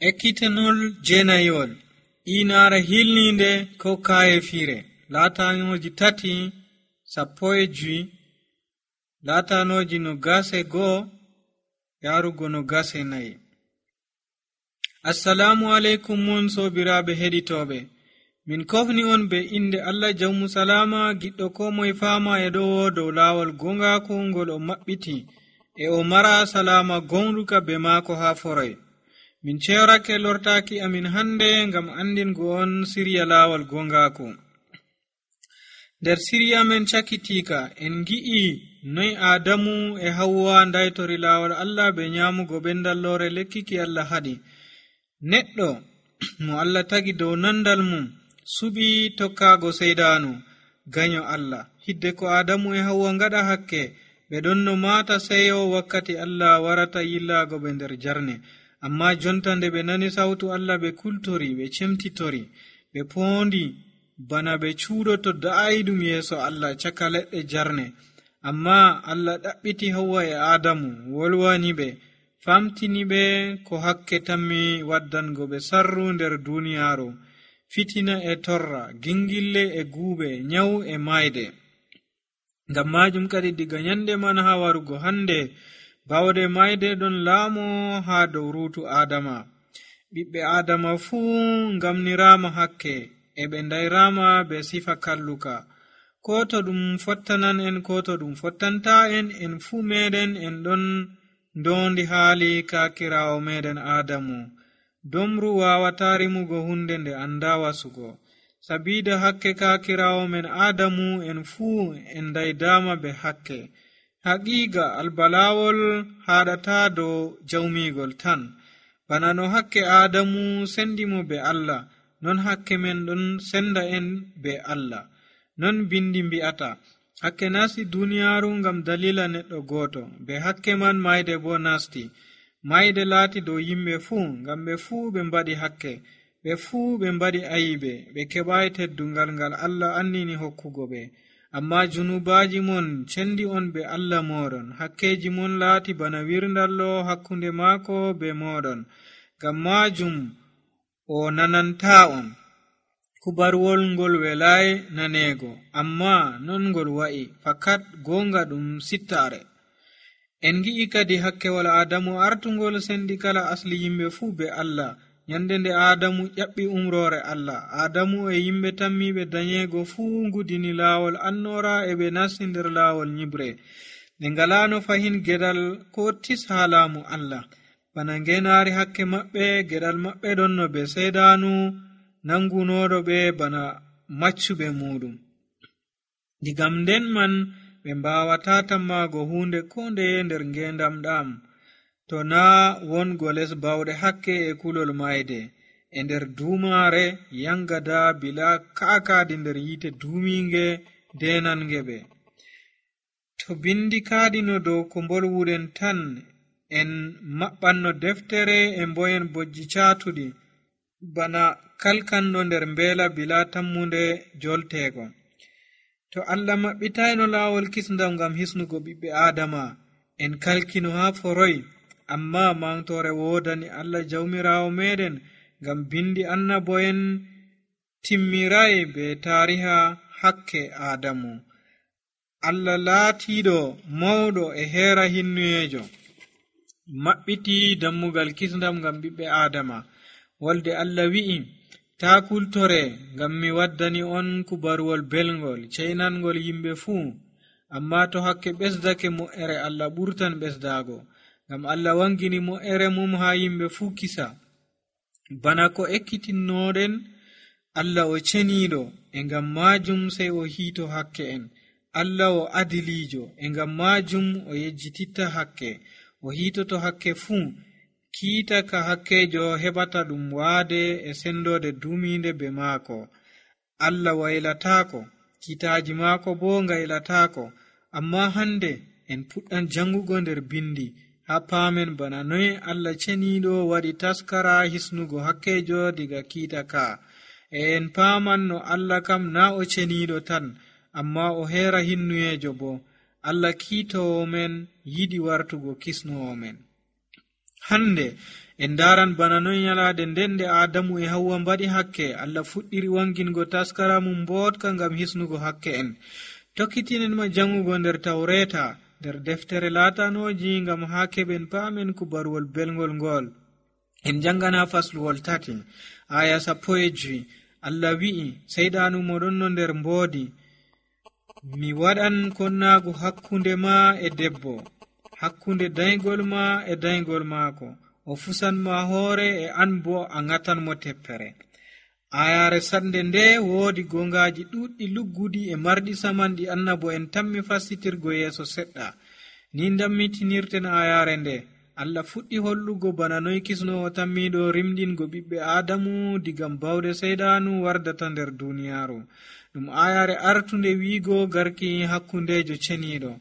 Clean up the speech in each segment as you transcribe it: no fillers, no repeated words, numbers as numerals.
Ekkitanol jeenayol inaare hilninde ko kaayefire laatanoji 3:15 laatanoji 21 yarugo 24. Assalamu alaikum mon sobiraaɓe heɗitoɓe, min kofni on be inde Allah jawmu salama giɗɗo ko moye fama e dow laawol gongaku ngol o maɓɓiti e o mara salama gonruka be maako ha foroy. Min ceerake lortaki amin hande ngam andingo on siriya laawol gongaku. Nder siriya men cakitika en gi'i noy Adamu e Hawwa ndaytori laawol Allah be nyamugo bendallore lekkiki Allah haɗi. Neɗɗo mo Allah tagi dow nandal mum suɓi tokkago seydanu ganyo Allah. Hidde ko Adamu e Hawwa ngaɗa hakke ɓe ɗon no mata seyo wakkati Allah warata yillago ɓe nder jarne. Amma jonta nde ɓe nani sautu Allah ɓe kultori, ɓe cemtitori, ɓe poondi bana ɓe cuuɗoto da'aidum yeeso Allah caka leɗɗe jarne. Amma Allah ɗaɓɓiti Hawwa e Adamu, wolwani ɓe, famtini ɓe ko hakke tammi waddango ɓe sarru nder duniyaaru, fitina e torra, gingille e guube, nyawu e mayde. Ngam majum kadi diga nyande man ha warugo hande bawde mayde ɗon laamo ha dow ruutu Adama. Ɓiɓɓe Adama fuu ngamnirama hakke e ɓe ndayrama be sifa kalluka. Ko to ɗum fottanan en ko to ɗum fottanta en fuu meɗen en ɗon ndondi haali kakirawo meɗen Adamu. Domru wawata rimugo hunde nde anda wasugo. Sabida hakke kakirawo men Adamu en fuu en ndaydama be hakke. Haqiqa albalawol haɗata dow jawmigol tan. Bana no hakke Adamu sendimo be Allah, non hakke men ɗon senda en be Allah. Non bindi mbi'ata hakke nasti duniyaaru ngam dalila neɗɗo goto, be hakke man mayde bo nasti. Mayde laati dow yimɓe fuu, ngam ɓe fuu ɓe mbaɗi hakke, ɓe fuu ɓe mbaɗi ayibe, ɓe keɓayi teddungal ngal Allah annini hokkugo ɓe. Amma junubaji mon cendi on be Allah moɗon, hakkeji mon laati bana wirndallo hakkunde maako be moɗon. Ngam majum o nananta on. Kubarwol ngol welai nanego, amma non ngol wa'i, fakat gonga ɗum sittare. En gi'i kadi hakkewol Adamu artungol sendi kala asli yimɓe fuu be Allah. Nyande nde Adamu ƴaɓɓi umrore Allah, Adamu e yimɓe tammiɓe danyego fuu ngudini laawol annora e ɓe nasti nder laawol nyibre. Ɓe ngalano fahin gedal ko tis ha laamu Allah. Bana ngenaari hakke maɓɓe, gedal maɓɓe ɗon no be seydanu nangunoɗo ɓe bana maccuɓe muɗum. Digam nden man ɓe mbawata tammago hunde ko ndeye nder ngendam ɗam, to na wongo les bawɗe hakke e kulol mayde e nder dumare yangada bila kaakadi nder yite duminge denange ɓe. To bindi kaadino dow ko mbolwuɗen tan en maɓɓanno deftere e mboyen bojji caatuɗi bana kalkanɗo nder mbeela bila tammunde joltego. To Allah maɓɓitayno laawol kisndam ngam hisnugo ɓiɓɓe Adama, en kalkino ha foroy. Amma mantore wodani Allah jawmirawo meɗen ngam bindi annabo'en timmirai be tariha hakke Adamu. Allah laatiɗo mawɗo e heera hinnuyejo maɓɓiti dammugal kisndam ngam ɓiɓɓe Adama. Wolde Allah wi'i, ta kultore ngam mi waddani on kubarwol belngol ceynangol yimɓe fuu. Amma to hakke ɓesdake mo'ere Allah ɓurtan ɓesdago, ngam Allah wangini mo'ere mum ha yimɓe fuu kisa. Bana ko ekkitinnoɗen Allah o ceniɗo, e ngam majum sai o hiito hakke en. Allah o adilijo, e ngam majum o yejjititta hakke, o hiitoto hakke fuu. Kiita ka hakkejo heɓata ɗum waade e sendode duminde be maako. Allah waylatako, kiitaji maako bo ngaylatako. Amma hande en puɗɗan jangugo nder bindi ha paamen bana noy Allah ceniɗo waɗi taskara hisnugo hakkejo diga kiita ka. En paaman no Allah kam na o ceniɗo tan, amma o heera hinnuyejo bo. Allah kiitowo men yiɗi wartugo kisnowo men. hande en daran bana noy nyalade nden nde Adamu e Hawwa mbaɗi hakke, Allah fuɗɗiri wangingo taskara mum mbotka ngam hisnugo hakke en. Tokkitinen ma jangugo nder Tawreta, nder deftere latanoji, ngam ha keɓen paamen kubaruwol belgol ngol. En jangana fasluwol 3 aya 15. Allah wi'i, seyɗanu moɗon no nder mboodi, mi waɗan konnagu hakkunde ma e debbo, hakkunde daygol ma e daygol maako, o fusan ma hoore e an bo a ngatan mo teppere. Ayare sande nde woodi gongaji ɗuɗɗi luggudi e marɗi samanɗi annabo en tammi fastitirgo yeeso seɗɗa. Ni dammitinirten ayare nde. Allah fuɗɗi hollugo bana noy kisnowo tammiɗo rimɗingo ɓiɓɓe Adamu digam bawde seyɗanu wardata nder duniyaaru. Ɗum ayare artunde wiigo garki hakkundejo ceniɗo.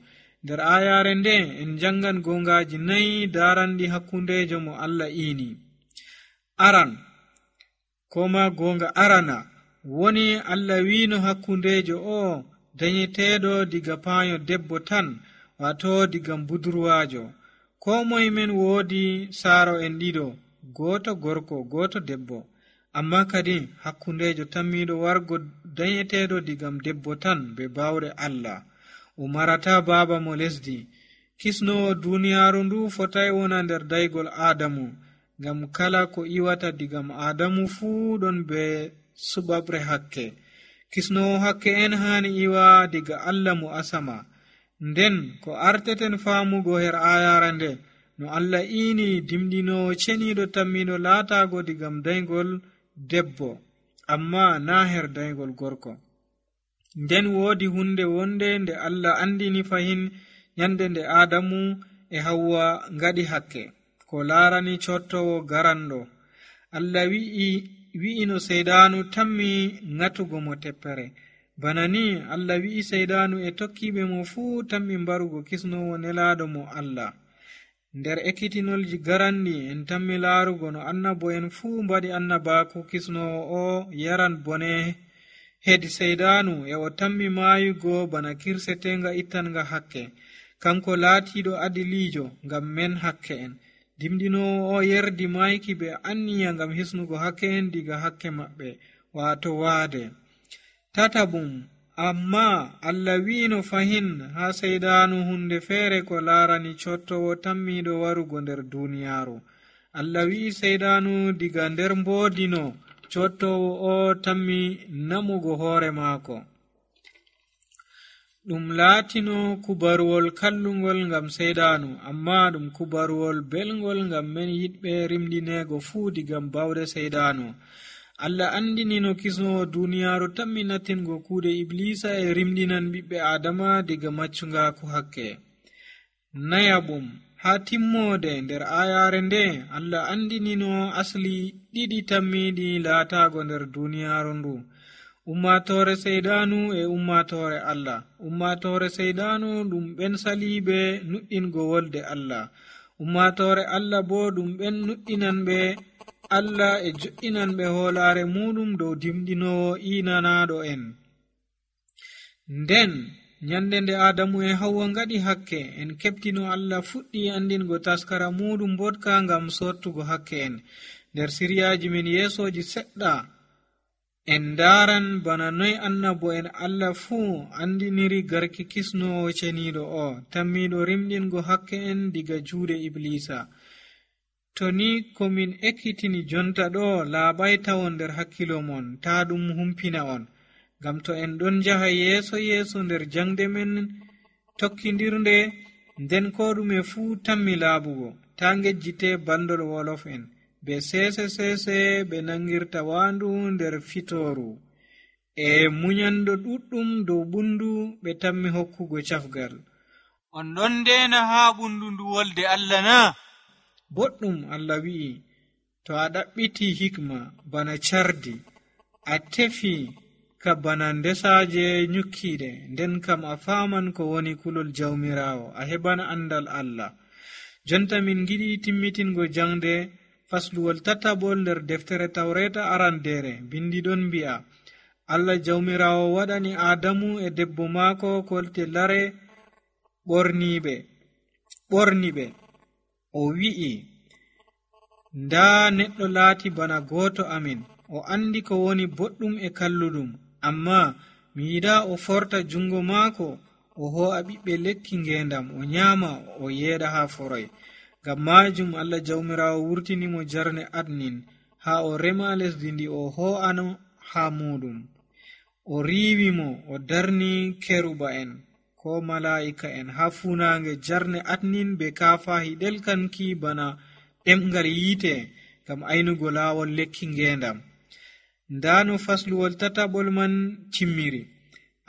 Nder ayare nde en jangan gongaji 4 daranɗi hakkundejo mo Allah iini. Aran, koma gonga arana, woni Allah wiino hakkundejo o dañeteɗo diga paayo debbo tan, wato digam budurwajo. Ko moye men woodi saaro en ɗiɗo, goto gorko goto debbo, amma kadi hakkundejo tammiɗo wargo dañeteɗo digam debbo tan be bawre Allah. O marata baaba mo lesdi. Kisnowo duniyaaru ndu fotai wona nder daygol Adamu, ngam kala ko iwata digam Adamu fuu ɗon be suɓaɓre hakke. Kisnowo hakke en hani iwa diga Allah mo asama. Nden ko arteten faamugo her ayara nde, no Allah iini dimɗinowo ceniɗo tammiɗo laatago digam daygol debbo, amma na her daygol gorko. Nden woodi hunde wonde nde Allah andini fahin nyande nde Adamu e Hawwa ngaɗi hakke, ko laarani cottowo garanɗo. Allah wi'ino seyɗanu tammi ngatugo mo teppere. Bana ni Allah wi'i seyɗanu e tokkiɓe mo fuu tammi mbarugo kisnowo nelaɗo mo Allah. Nder ekkitinolji garanɗi en tammi laarugo no annabo en fuu mbaɗi annabaku kisnowo o yaran bone hedi seyɗanu e o tammi maayugo bana kirsetenga ittanga hakke. Kanko laatiɗo adilijo ngam men hakke en. Dimɗinowo o yerdi mayki be anniya ngam hisnugo hakke en diga hakke maɓɓe, wato waade. Tatabum, amma Allah wiino fahin ha seyɗanu hunde feere ko laarani cottowo tammiɗo warugo nder duniyaaru. Allah wi'i seyɗanu diga nder mboodino cottowo o tammi namugo hoore maako. Ɗum laatino kubaruwol kallungol ngam seyɗanu, amma ɗum kubaruwol belgol ngam men yiɗɓe rimɗinego fuu digam bawde seyɗanu. Allah andinino kisnowo duniyaaru tammi nattingo kuuɗe Iblisa e rimɗinan ɓiɓɓe Adama diga maccungaku hakke. Nayabum, ha timmode nder ayare nde Allah andinino asli ɗiɗi tammiɗi laatago nder duniyaaru ndu: ummatore seyɗanu e ummatore Allah. Ummatore seyɗanu ɗum ɓen saliɓe nuɗɗingo wolde Allah. Ummatore Allah bo ɗum ɓen nuɗɗinanɓe Allah e jo'inanɓe hoolare muɗum dow dimɗinowo inanaɗo en. Nden nyande nde Adamu e Hawwa ngaɗi hakke, en keɓtino Allah fuɗɗi andingo taskara muɗum mbotka ngam sottugo hakke en. Nder siryaji men yeesoji seɗɗa en daran bana noy annabo en Allah fuu andiniri garki kisnowo ceniɗo o tammiɗo rimɗingo hakke en diga juuɗe Iblisa. To ni komin ekkitini jonta ɗo laaɓai tawon nder hakkilo mon, ta ɗum humpina on, ngam to en ɗon jaha yeeso nder jangde men tokkidirnde, nden ko ɗume fuu tammi laaɓugo, ta ngejjite bandol wolof en be sese ɓe nangirta waandu nder fitooru, e munyando ɗuɗɗum dow bundu ɓe tammi hokkugo cafgal. On ɗon ndena ha bundu ndu wolde Allah na? Boɗɗum Allah wi'i, to a ɗaɓɓiti hikma bana cardi, a tefi ka bana ndesaje nyukkiɗe, nden kam a faman ko woni kulol jawmirawo, a heɓan andal Allah. Jonta min giɗi timmitingo jangde fasluwol 3 nder deftere Tawreta arandere. Bindi ɗon mbi'a, Allah jawmirawo waɗani Adamu e debbo maako kolte lare ɓorniɓe. O wi'i, ndaa neɗɗo laati bana gooto amin, o andi ko woni boɗɗum e kalluɗum, amma mi yiɗaa o forta jungo maako o ho'a ɓiɓɓe lekki ngendam o nyaama o yeeɗa haa foroy. Ngam maajum Allah jawmiraawo wurtinimo jarne adnin haa o rema lesdi ndi o ho'ano haa muɗum. O riiwimo o darni keruba'en ko malaa'ika'en haa fuunaange jarne adnin be kaafahi ɗelkanki bana ɗemgal yiite ngam aynugo laawol lekki ngendam. Ndaa no fasluwol tataɓol man timmiri,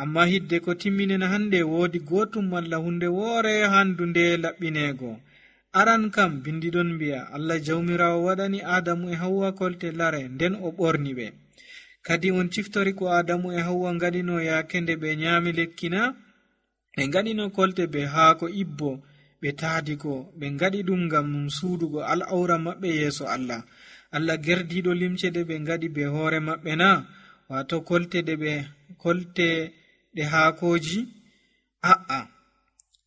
amma hidde ko timminena hande woodi gootum malla hunde woore handu nde laɓɓineego. Aran kam bindiɗon mbi'a Allah jawmiraawo waɗani Adamu e Hawwa kolte lare nden o ɓorni ɓe. Kadi on ciftori ko Adamu e Hawwa ngaɗino yaake nde ɓe nyaami lekkina, ɓe ngaɗino kolte be haako ibbo ɓe taadi ko ɓe ngaɗi ɗum ngam suudugo al'aura maɓɓe yeeso Allah. Allah gerdiiɗo limce ɗe ɓe ngaɗi be hoore maɓɓe na, wato kolte ɗe haakoji? A'a,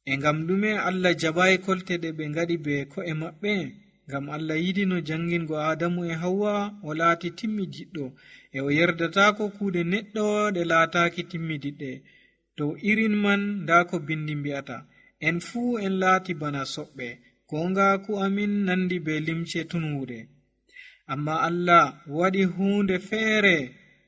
e ngam ɗume Allah jaɓayi kolte ɗe ɓe ngaɗi be ko'e maɓɓe? Ngam Allah yiɗi no jangingo Adamu e Hawwa o laati timmidiɗɗo, e o yerdatako kuuɗe neɗɗo ɗe laataaki timmidiɗɗe. Dow irin man nda ko bindi mbi'ata, en fuu en laati bana soɓɓe, gongaku amin nandi be limce tunwude. Amma Allah waɗi huunde feere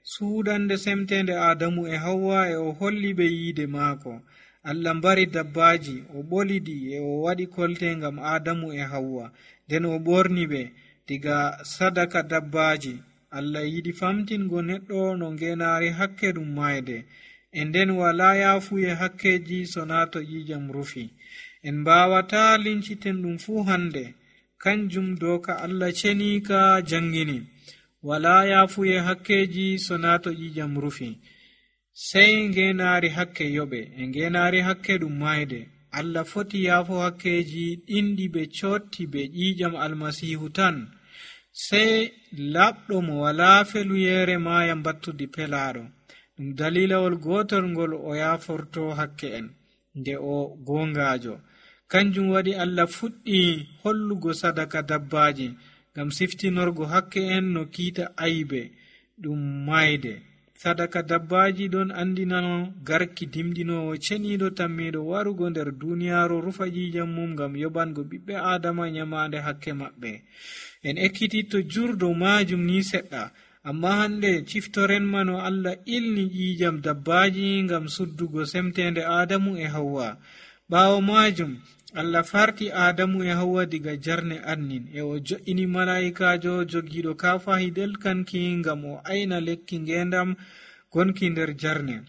suudande semtende Adamu e Hawwa, e o holli ɓe yiide maako. Allah mbari dabbaji, o ɓolidi e o waɗi kolte ngam Adamu e Hawwa, nden o ɓorni ɓe diga sadaka dabbaji. Allah yiɗi famtingo neɗɗo no ngenaari hakke ɗum mayde, e nden wala yaafuye hakkeji sona to ƴiƴam rufi. En mbawata linciten ɗum fuu hande, kanjum doka Allah cenika jangini, wala yaafuye hakkeji sona to ƴiƴam rufi. Sey ngenaari hakke yoɓe, e ngenaari hakke ɗum mayde. Allah foti yaafo hakkeji ɗinɗi ɓe cotti be ƴiƴam almasihu tan. Sey laɓɗo mo wala feluyere maya mbattudi pelaɗo. Ɗum dalilawol gotol ngol o yaaforto hakke en nde o gongajo. Kanjum waɗi Allah fuɗɗi hollugo sadaka dabbaji ngam siftinorgo hakke en no kiita aybe ɗum mayde. Sadaka dabbaji ɗon andinano garki dimdinowo ceniɗo tammiɗo warugo nder duniyaru rufa ƴiƴam mum ngam yobango ɓiɓɓe adama nyamande hakke maɓɓe. En ekkititto jurdo majum ni seɗɗa, amma hande ciftoren mano Allah ilni ƴiƴam dabbaji ngam suddugo semtende Adamu e Hawwa. Ɓawo majum Allah farti Adamu e Hawwa diga jarne adnin, e o jo'ini malaikajo jogiɗo kafahi delkanki ngam o ayna lekki ngendam gonki nder jarne.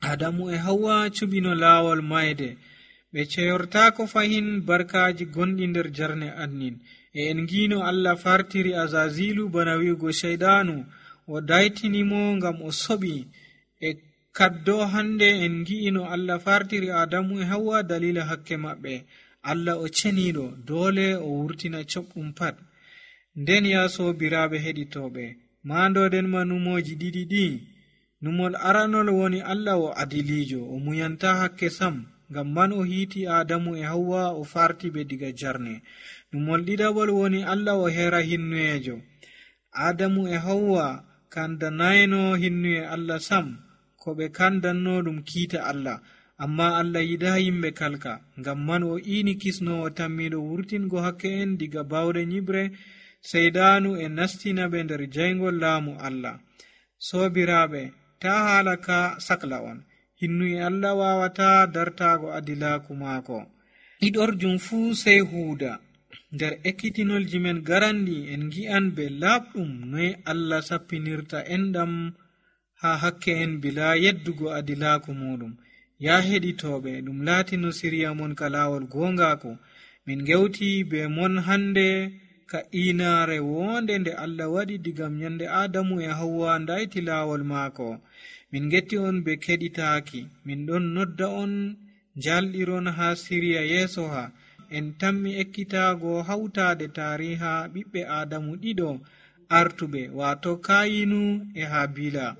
Adamu e Hawwa cubino laawol mayde, ɓe ceyortako fahin barkaji gonɗi nder jarne adnin. E en ngino Allah fartiri Azazilu bana wi'ugo shaydanu, o daytinimo ngam o soɓi. E kaddo hande en ngi'ino Allah fartiri Adamu e Hawwa dalila hakke maɓɓe. Allah o ceniɗo, dole o wurtina coɓɗum pat. Nden ya sobiraɓe heɗitoɓe, mandoɗen ma numoji ɗiɗi ɗi. Numol aranol woni Allah o adilijo, o muyanta hakke sam, ngam man o hiiti Adamu e Hawwa o farti ɓe diga jarne. Numol ɗiɗaɓol woni Allah o hera hinnuyejo. Adamu e Hawwa kandanayno hinnuye Allah sam, ko ɓe kandanno ɗum kiita Allah, amma Allah yiɗa yimɓe kalka. Ngam man o ini kisnowo tammiɗo wurtingo hakke en diga bawɗe nyibre seydanu e nastina ɓe nder jaygol laamu Allah. Sobiraɓe, ta haala ka sakla on, hinnuye Allah wawata dartago adilaku maako. Ɗiɗorjum fuu sey huuda. Nder ekkitinolji men garanɗi en gi'an be laaɓɗum noy Allah sappinirta enɗam ha hakke en bila yeddugo adilaku muɗum. Ya heɗitoɓe, ɗum laatino siriya mon ka laawol gongaako. Min gewti be mon hande ka inaare wonde nde Allah waɗi digam nyande Adamu e Hawwa ndayti laawol maako. Min getti on be keɗitaaki. Min ɗon nodda on jalɗiron ha siriya yeeso ha. En tammi ekkitaago hawtaade taariha ɓiɓɓe Adamu ɗiɗo artuɓe, wato Kayinu e Habila.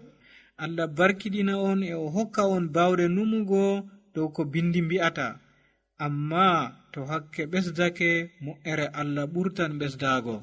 Allah barkiɗina on e o hokka on bawɗe numugo dow ko bindi mbi'ata. Amma to hakke ɓesdake, mo'ere Allah ɓurtan ɓesdago.